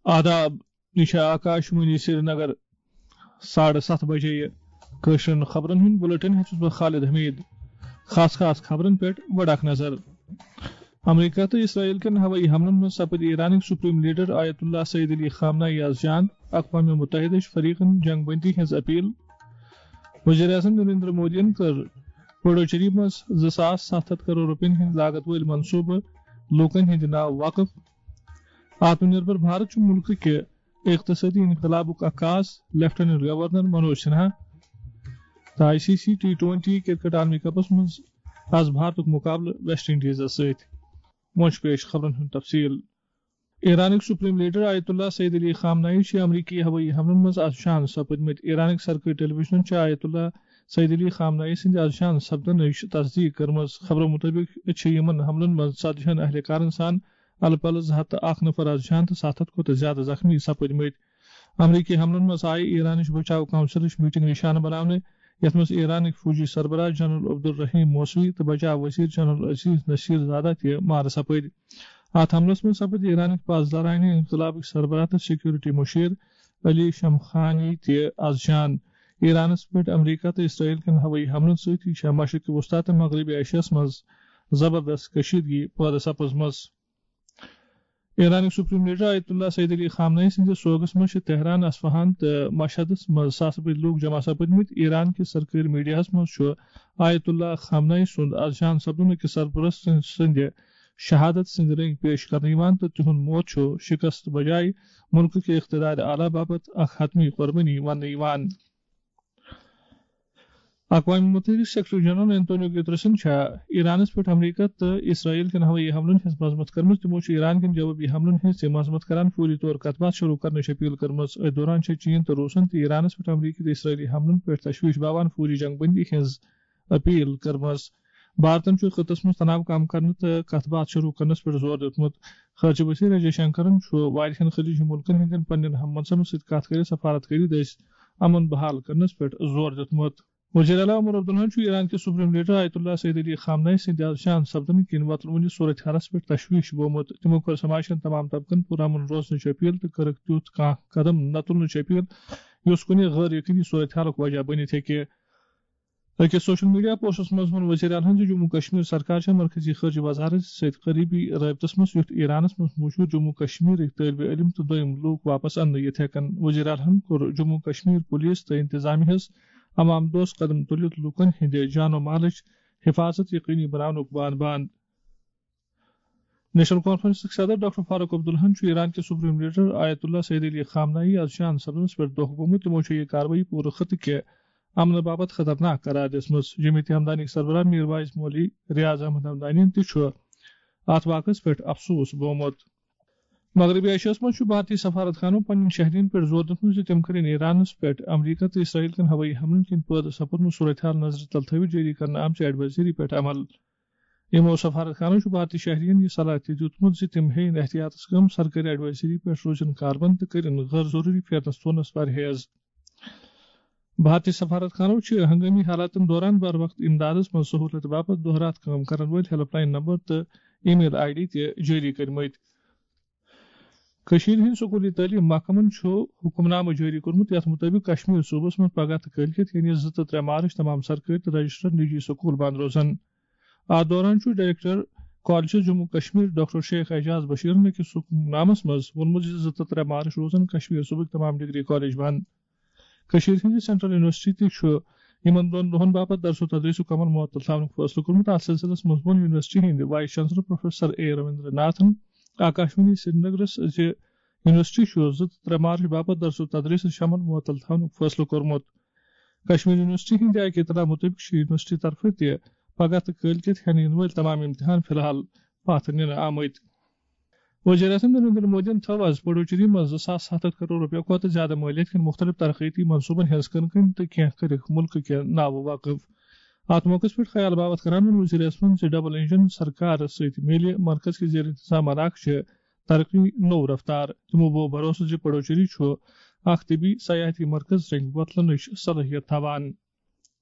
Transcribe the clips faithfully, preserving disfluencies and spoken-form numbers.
آداب، یہِ چھِ آکاش وانی سرینگر۔ ساڑٕ ستھ بجے یہِ کٲشرٮ۪ن خبرن ہُنٛد بُلٹن ہیٚتھ چھُس بہٕ خالد حمید۔ خاص خاص خبرن پٮ۪ٹھ گۄڈٕ اکھ نظر۔ امریکہ تہٕ اسرائیل کٮ۪ن ہوٲیی حملن منٛز سپٕدۍ ایرانٕکۍ سپریم لیڈر آیت اللہ سعید علی خامنائی از جان۔ اقوام متحدہ چھِ فریقن جنگ بندی ہٕنٛز اپیل۔ وزیر اعظم نریندر مودیَن کٔر پڈوچیری منٛز زٕ ساس ستھ ہتھ کرور رۄپین ہٕنٛدۍ لاگت وٲلۍ منصوبہٕ لوٗکن ہٕنٛدِ ناوٕ وقف۔ آتم نربھر بھارت چھُ مُلکہٕ کہِ اقتصٲدی انقلابُک عکاس، لیفٹیننٹ گورنر منوج سنہا۔ تہٕ I C C T twenty cricket عالمی کپس منٛز آز بھارتُک مُقابلہٕ ویسٹ انڈیزس سۭتۍ۔ وۄنۍ چھُ پیش خبرن ہُنٛد تفصیل۔ ایرانٕکۍ سپریم لیڈر آیت اللہ سعید علی خامنائی چھِ امریکی ہوٲیی حملن منٛز از شہید سپٕدمٕتۍ۔ ایرانٕکۍ سرکٲرۍ ٹیلی ویژنن چھِ آیت اللہ سعید علی خامنائی سٕنٛدِ از شہید سپدنٕچ تصدیق کٔرمٕژ۔ خبرو مُطٲبِق چھِ یِمن حملن منٛز ژتجی ہن اہلکارن سان الہٕ پلہٕ زٕ ہتھ تہٕ اکھ نفر از جان تہٕ ستھ ہتھ کھۄتہٕ زیادٕ زخمی سپٕدمٕتۍ۔ امریکی حملن منٛز آیہِ ایرانٕچ بچاو کونسلٕچ میٹنگ نشانہٕ بناونہٕ، یتھ منٛز ایرانٕکۍ فوجی سربراہ جنرل عبدالرحیم موسوی تہٕ بچاو وزیر جنرل عزیز نصیر زادہ تہِ مارٕ سپٕدۍ۔ اتھ حملس منٛز سپٕدۍ ایرانٕکۍ پاسدارانہِ انقلابٕکۍ سربراہ تہٕ سیکورٹی مشیر علی شمخانی تہِ از جان۔ ایرانس پٮ۪ٹھ امریکہ تہٕ اسرائیل کٮ۪ن ہوٲیی حملن سۭتۍ چھےٚ مشرق وسطی تہٕ مغربی ایشیاہس منٛز زبردست کشیدگی پٲدٕ سپٕزمٕژ۔ ایرانٕکۍ سپریم لیڈر آیت اللہ سعید علی خامنائی سٕنٛدِس سوگس منٛز چھِ تہران، اصفہان تہٕ مشہدس منٛز ساسہٕ بٔدۍ لوٗکھ جمع سپٕدمٕتۍ۔ ایران کِس سرکٲرۍ میڈیاہس منٛز چھُ آیت اللہ خامنائی سُنٛد از جان سپدُن أکِس سرپرست سٕنٛدِ شہادت سٕنٛدۍ رٔنگۍ پیش کرنہٕ یِوان تہٕ تِہُنٛد موت چھُ شکست بجایہِ مُلکہٕ کہِ اقتدار اعلیٰ باپتھ اکھ حتمی قربٲنی وننہٕ یِوان۔ اقوام متحدہ سیکرٹری جنرل انتونیو گترسن چھا ایرانس پٮ۪ٹھ امریکہ تہٕ اسرائیل کٮ۪ن ہوٲیی حملن ہٕنٛز مذمت کٔرمٕژ۔ تِمو چھُ ایران کٮ۪ن جوابی حملن ہٕنٛز تہِ مذمت کران فوری طور کتھ باتھ شروع کرنٕچ اپیل کٔرمٕژ۔ أتھۍ دوران چھِ چین تہٕ روسن تہِ ایرانس پٮ۪ٹھ امریکی تہٕ اسرائیلی حملن پٮ۪ٹھ تشویش باوان فوری جنگ بندی ہٕنٛز اپیل کٔرمٕژ۔ بھارتن چھُ خطس منٛز تناو کم کرنہٕ تہٕ کتھ باتھ شروع کرنس پٮ۪ٹھ زور دیُتمُت۔ خارجہ وزیر اے جے شنکرن چھُ واریاہن خلیجی ملکن ہٕنٛدٮ۪ن پننٮ۪ن ہم منصبن سۭتۍ کتھ کٔرِتھ سفارت کٔرِتھ دٔسۍ امن بحال کرنس پٮ۪ٹھ زور دیُتمُت۔ وزیر اعلیٰ عمر عبداللہن چھُ ایران کِس سپریم لیڈر آیت اللہ سید علی خامنائی سٕنٛدِ از شہید سپدنہٕ کِنۍ وۄتلمٕتِس صورتحالس پٮ۪ٹھ تشویش بومُت۔ تِمو کٔر سماجہِ ہٕنٛدٮ۪ن تمام طبقن پُرامن روزنٕچ اپیل تہٕ کٔرٕکھ تیُتھ کانٛہہ قدم نہ تُلنٕچ اپیل، یُس کُنہِ غٲر یقینی صورتحالُک وجہ بٔنِتھ ہیٚکہِ۔ أکِس سوشل میڈیا پوسٹس منٛز ووٚن وزیر اعلیٰ ہن زِ جموں کشمیر سرکار چھےٚ مرکزی خارجہ وزارت سۭتۍ قریبی رٲبطس منٛز، یُتھ ایرانس منٛز موجود جموں کشمیرٕکۍ طٲلبہِ علم تہٕ دوٚیم لوٗکھ واپس اننہٕ یِتھ ہٮ۪کن۔ وزیر اعلیٰ ہن کوٚر جموں کشمیر پولیس تہٕ انتظامیہ ہس عوام دوست قدم تُلِتھ لوٗکن ہٕنٛدِ جان و مالٕچ حفاظت یقینی بناونُک بان بان۔ نیشنل کانفرنسٕکۍ صدر ڈاکٹر فاروق عبداللہن چھُ ایران کِس سپریم لیڈر آیت اللہ سید علی خامنائی از شہید سپدنس پٮ۪ٹھ دۄکھ گوٚمُت۔ تِمو چھُ یہِ کاروٲیی پوٗرٕ خطہٕ کہِ امنہٕ باپتھ خطرناک قرار دِژمٕژ۔ جمعیت ہمدانیٕکۍ سربراہ میر واعظ مولوی ریاض احمد ہمدانین تہِ چھُ اتھ واقعس پٮ۪ٹھ افسوس بومُت۔ مغربی ایشیاہس منٛز چھُ بھارتی سفارت خانو پننٮ۪ن شہرین پٮ۪ٹھ زور دیُتمُت زِ تِم کٔرِن ایرانس پٮ۪ٹھ امریکہ تہٕ اسرائیل کٮ۪ن ہوٲیی حملن کِنۍ پٲدٕ سپُدمُت صورتحال نظرِ تل تھٲوِتھ جٲری کرنہٕ آمژِ ایڈوائزری پٮ۪ٹھ عمل۔ یِمو سفارت خانو چھُ بھارتی شہرین یہِ صلاح تہِ دیُتمُت زِ تِم ہیٚیِن احتیاطس کٲم، سرکٲرۍ ایڈوائزری پٮ۪ٹھ روزِن کاربند تہٕ کٔرِن غٲر ضروٗری پھیرنس ژونس پرہیز۔ بھارتی سفارت خانو چھِ ہنگٲمی حالاتن دوران بر وقت امدادس منٛز سہولت باپتھ دۄہ راتھ کٲم کرن وٲلۍ ہیلپ لائن نمبر تہٕ ای میل آئی ڈی تہِ جٲری کٔرمٕتۍ۔ کٔشیٖرِ ہٕنٛدۍ سکوٗلی تعلیٖم محکمن چھُ حُکمنامہٕ جٲری کوٚرمُت، یَتھ مُطٲبِق کشمیر صوٗبس منٛز پگاہ تہٕ کٲلۍکٮ۪تھ، یعنی زٕ تہٕ ترٛےٚ مارچ، تمام سرکٲرۍ تہٕ رجسٹرڈ نجی سکوٗل بنٛد روزن۔ اَتھ دوران چھُ director colleges Jammu Kashmir doctor Sheikh Ajaz بشیرن أکِس حُکمنامس منٛز ووٚنمُت زِ زٕ تہٕ ترٛےٚ مارچ روزن کشمیر صوٗبٕکۍ تمام ڈگری کالج بنٛد۔ کٔشیٖرِ ہٕنٛزِ سینٹرل یونیورسٹی تہِ چھُ یِمن دۄن دۄہن باپتھ درس و تدریسُک عمل معطل تھاونُک فٲصلہٕ کوٚرمُت۔ اَتھ سلسلس منٛز ووٚن یونیورسٹی ہٕنٛدِ وائس چانسلر پروفیسر اے رویندر ناتھن آکاشوانی سرینگرس زِ یونیورسٹی چھُ زٕ تہٕ ترٛےٚ مارچ باپتھ درس و تدریسٕچ عمل معطل تھاونُک فٲصلہٕ کوٚرمُت۔ کشمیر یونیورسٹی ہٕنٛدِ اکہِ اطلاع مُطٲبِق چھِ یونیورسٹی طرفہٕ تہِ پگاہ تہٕ کٲلۍ کٮ۪تھ ہٮ۪نہٕ یِنہٕ وٲلۍ تمام امتحان فی الحال پتھ نِنہٕ آمٕتۍ۔ وزیر اعظم نریندر مودیَن تھٲو آز پڈوچیری منٛز زٕ ساس ستھ ہتھ کرور رۄپیہِ کھۄتہٕ زیادٕ مٲلیت کٮ۪ن مُختٔلِف ترقیتی منصوٗبن ہٕنٛز کٕنہٕ کٕنۍ تہٕ کینٛہہ کٔرِکھ مُلکہٕ کہِ ناوٕ وقف۔ اَتھ موقعس پٮ۪ٹھ خیال باوتھ کران ووٚن وزیر اعظمَن زِ ڈبل انجن سرکار سۭتۍ میلہِ مرکز کہِ زیر انتظام علاقہٕ چہِ ترقی نوٚو رفتار۔ تِمو بوو بھروسہٕ زِ پڈوچیری چھُ اکھ طبی سیاحتی مرکز رنگۍ وۄتلنٕچ صلٲحیت تھاوان۔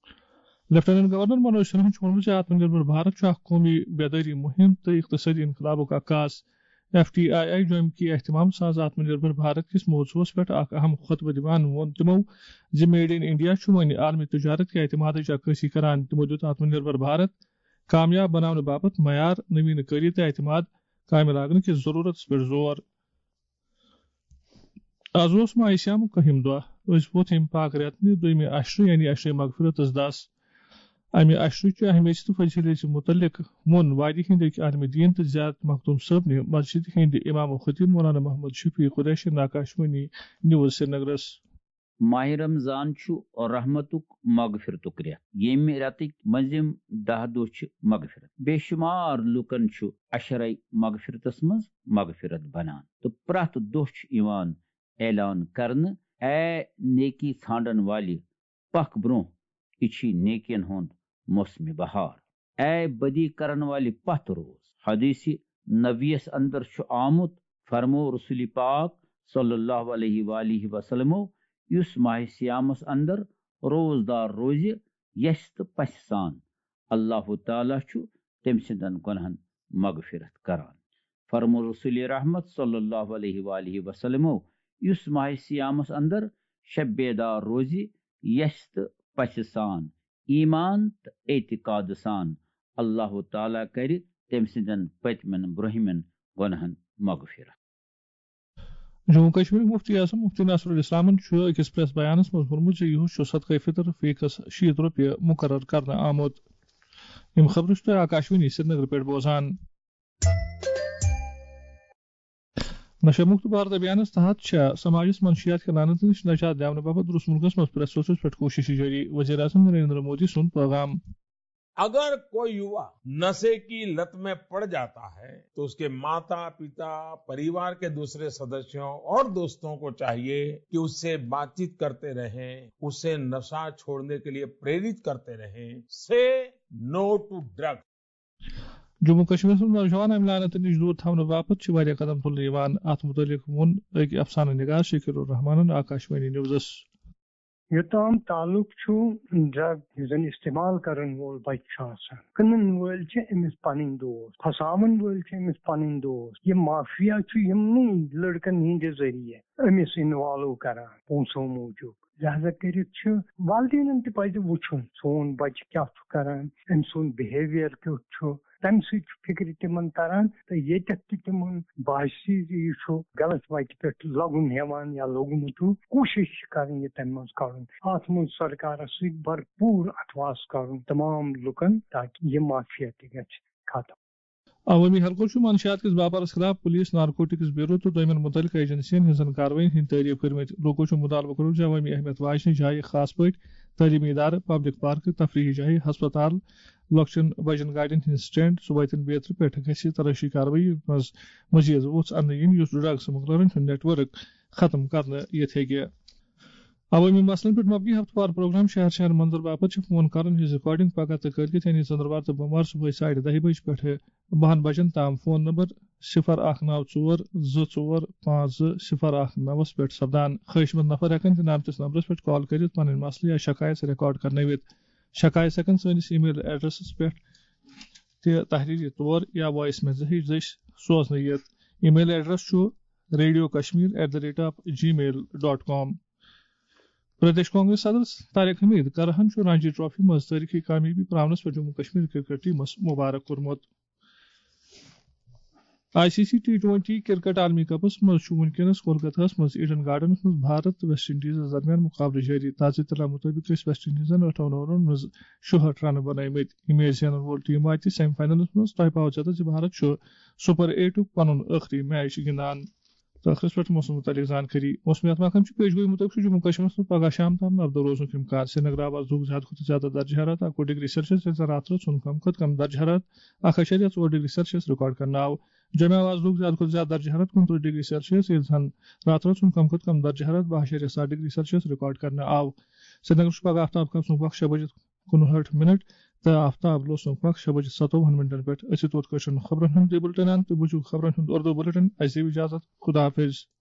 لیفٹیننٹ گورنر منوج سنہاہن چھُ ووٚنمُت زِ آتم نربھر بھارت چھُ اکھ قومی بیدٲری مُہِم تہٕ اقتصٲدی انقلابُک عکاس۔ ایف ٹی آئی آئی جوٚمہِ کہِ اہتمام سان آتم نربھر بھارت کِس موضوعس پٮ۪ٹھ اکھ اہم خطبہٕ دِوان ووٚن تِمو زِ میڈ ان انڈیا چھُ وۄنۍ عالمی تجارت کہِ اعتمادٕچ عکٲسی کران۔ تِمو دیُت آتم نربھر بھارت کامیاب بناونہٕ باپتھ معیار، نوین کٲری تہٕ اعتماد کامہِ لاگنہٕ کِس ضروٗرتس پٮ۪ٹھ زور۔ از اوس ماہِ صیامُک کٔہِم دۄہ۔ أسۍ ووت ییٚمہِ پاک رٮ۪تنہِ دوٚیمہِ عشرٕ، یعنی عشرِ مغفرتس دس۔ امہِ عشرٕچہِ اہمیت تہٕ فضیلت متعلق ووٚن وادی ہٕنٛدۍ أکۍ عالمِ دیٖن تہٕ زیارت مخدوم صٲبنہِ مسجد ہٕنٛدِ امام و خطیب مولانا محمد شفیع قریشی آکاشوانی نیوز سرینگرس۔ ماہِ رمضان چھُ رحمتُک مغفرتُک رٮ۪تھ، ییٚمہِ رٮ۪تٕکۍ مٔنٛزِم دَہ دۄہ چھِ مغفرت۔ بے شُمار لوٗکن چھُ عشرے مغفرتس منٛز مغفرت بنان تہٕ پرٛٮ۪تھ دۄہ چھُ یِوان اعلان کرنہٕ، اے نیکی ژھانڈن والہِ، پکھ برونٛہہ، یہِ چھی نیکین ہُنٛد موسمِ بہار۔ اے بدی کرن والہِ، پتھ روز۔ حدیثِ نبویس اندر چھُ آمُت، فرمو رسول پاک صلی اللہ علیہ وآلہ وسلمو، یُس ماہِ صیامس اندر روزدار روزِ، یژھِ تہٕ پژھِ سان، اللہ تعالیٰ چھُ تٔمۍ سٕنٛدٮ۪ن گۄناہن مغفرت کران۔ فرمو رسول رحمت صلی اللہ علیہ وآلہ وسلمو، یُس ماہِ صیامس اندر شب بیدار روزِ، یژھِ تہٕ پژھِ سان، ایمان تہٕ اعتقاد سان، اللہ تعالیٰ کرِ تٔمۍ سٕنٛدٮ۪ن پٔتمٮ۪ن برونٛہمٮ۪ن گۄناہن مغفرت۔ جموں کشمیرٕکۍ مفتی اعظم مفتی نصر الاسلامن چھُ أکِس پریس بیانس منٛز ووٚنمُت زِ یِہُس چھُ صدقے فطر فی کس شیٖتھ رۄپیہِ مقرر کرنہٕ آمُت۔ یِم خبرٕ چھِ تُہۍ آکاشوانی سرینگرٕ پٮ۪ٹھ بوزان۔ نشہ مکت بھارت ابھیانس تحت چھےٚ سماجس منشیات کہِ لعنتہٕ نِش نجات دِنہٕ باپتھ روٗس مُلکس منٛز پرٛٮ۪تھ سوٚژھس پٮ۪ٹھ کوٗشش جٲری، وزیر اعظم نریندر مودی سُنٛد پیغام۔ اگر کوئی یوا نشے کی لت میں پڑ جاتا ہے تو اس کے माता, पिता, परिवार के दूसरे सदस्यों और दोस्तों को चाहिए कि उससे बातचीत करते रहें, उसे नशा छोड़ने के लिए प्रेरित करते रहें। Say no to drugs. Jammu کشمیرس منٛز نوجوان امہِ لعنتہٕ نِش دوٗر تھاونہٕ باپتھ چھِ واریاہ قدم تُلنہٕ یِوان۔ اتھ مُتعلق ووٚن أکۍ افسانہٕ نگار شکیل الرحمانن آکاشوانی نیوزس۔ یوٚتام تعلق چھُ ڈرگ یُس زن استعمال کرن وول بچہِ چھُ آسان، کٕنن وٲلۍ چھِ أمِس پنٕنۍ دوست، پھساون وٲلۍ چھِ أمِس پنٕنۍ دوست۔ یہِ مافیا چھُ یِمنٕے لڑکن ہٕنٛدِ ذٔریعہٕ أمِس انوالو کران پونٛسو موٗجوٗب۔ لہذا کٔرِتھ چھُ والدینن تہِ پزِ وُچھُن سون بچہِ کیٛاہ چھُ کران، أمۍ سُنٛد بِہیویئر کیُتھ چھُ۔ تمہِ سۭتۍ چھُ فکرِ تِمن تران تہٕ ییٚتٮ۪تھ تہِ تِمن باسہِ زِ یہِ چھُ غلط وتہِ پٮ۪ٹھ لگُن ہٮ۪وان یا لوٚگمُت چھُ، کوٗشش چھِ کرٕنۍ یہِ تمہِ منٛز کڑُن۔ اتھ منٛز سرکارس سۭتۍ بھرپوٗر اتھواس کرُن تمام لُکن، تاکہِ یہِ مافیا تہِ گژھِ ختم۔ عوٲمی حلقو چھُ منشیات کِس باپارس خلاف پولیس، نارکوٹکس بیورو تہٕ دوٚیمٮ۪ن مُتعلقہٕ ایجنسین ہٕنٛزن کاروٲیین ہٕنٛدۍ تعریف کٔرمٕتۍ۔ لوٗکو چھُ مُطالبہٕ کوٚرمُت زِ عوٲمی اہمیت واجنہِ جایہِ، خاص پٲٹھۍ تعلیمی ادارٕ، پبلک پارکہٕ، تفریحی جایہِ، ہسپتال، لۄکچن بجن گاڑٮ۪ن ہٕنٛدۍ سٹینڈ، صوبٲتٮ۪ن بیترِ پٮ۪ٹھ گژھِ تلٲشی کاروٲیی منٛز مزید وُژھ اننہٕ یِنۍ، یُس ڈرگ سمگلرن ہُنٛد نیٹ ورک ختم کرنہٕ یِتھ ہیٚکہِ۔ عوٲمی مسلن پٮ۪ٹھ مبنی ہفتہٕ وار پروگرام شہر شہر منظر باپتھ چھِ فون کرن ہٕنٛز ریکارڈنگ پگاہ تہٕ کٲلکٮ۪تھ، یعنی ژٔنٛدٕروار تہٕ بوموار، صبحٲے ساڑِ دَہہِ بجہِ پٮ۪ٹھٕ بَہَن بجن تام۔ فون نمبر صفر اکھ نو ژور زٕ ژور پانٛژھ زٕ صفر اکھ نوَس پٮ۪ٹھ سپدان۔ خٲہِش مند نفر ہٮ۪کن تہِ نامتِس نمبرس پٮ۪ٹھ کال کٔرِتھ پنٕنۍ مسلہٕ یا شکایت ریکارڈ کرنٲوِتھ۔ شکایت ہٮ۪کن سٲنِس ای میل ایڈریسس پٮ۪ٹھ تہِ تحریری طور یا وائس میسجہِ دٔسۍ سوزنہٕ یِتھ۔ ای میل ایڈریس چھُ radio kashmir at the rate of gmail dot com۔ Pradesh Congress صدر طارق حمید کرہن چھُ رانجی ٹرافی منٛز تٲریخی کامیٲبی پراونس پٮ۪ٹھ جموں کشمیر کرکٹ ٹیمس مبارک کوٚرمُت۔ I C C T twenty cricket عالمی کپس منٛز چھُ وُنکیٚنس کولکتہس منٛز ایڈن گارڈنس منٛز بھارت تہٕ ویسٹ انڈیزس درمیان مقابلہٕ جٲری۔ تازٕ اطلاع مُطٲبِق ٲسۍ ویسٹ انڈیزن ٲٹھن اوورن منٛز شُہٲٹھ رنہٕ بنٲومٕتۍ۔ یہِ میچ زینن وول ٹیم واتہِ سیمی فاینلس منٛز۔ تۄہہِ پاوٕ زیادٕ زِ بھارت چھُ سپر ایٹُک پنُن ٲخری میچ گِنٛدان۔ تہٕ ٲخرس پٮ۪ٹھ موسم متعلق زانکٲری۔ موسمیات محکمہٕ چھُ پیشگوئی مُطٲبِق چھُ جموں کشمیرس منٛز پگاہ شام تام نبدو روزنُک امکان۔ سرینگر آو آز دۄہُک زیادٕ کھۄتہٕ زیادٕ درجہ حرارت اَکوُہ ڈگری سیلسیس، ییٚلہِ زن راتھ رٲژ ہُنٛد کم کھۄتہٕ کم درجہ حرارت اکھ اَشاریہ ژور ڈگری سیلسیس ریکارڈ کرنہٕ آو۔ جمعہ آو آز دۄہُک زیادٕ کھۄتہٕ زیادٕ درجہ حرارت کُنترٕہ ڈگری سیلسیس، ییٚلہِ زن راتھ رٲژ ہُنٛد کم کھۄتہٕ کم درجہ حرارت باہ اَشاریہ ستھ ڈگری سیلسیس ریکارڈ کرنہٕ آو۔ سرینگر چھُ پگاہ آفتاب کھسنُک وقت شےٚ بجہِ کُنہٲٹھ منٹ تہٕ آفتاب لوسنُک وقت شےٚ بجہِ ستووُہن منٹن پٮ۪ٹھ۔ أسۍ چھِ توت کٲشرٮ۪ن خبرن ہُنٛد یہِ بُلٹن انان۔ تُہۍ بوٗزِو خبرن ہُنٛد اردو بُلٹن۔ اَسہِ دِیِو اجازت۔ خدا حافظ۔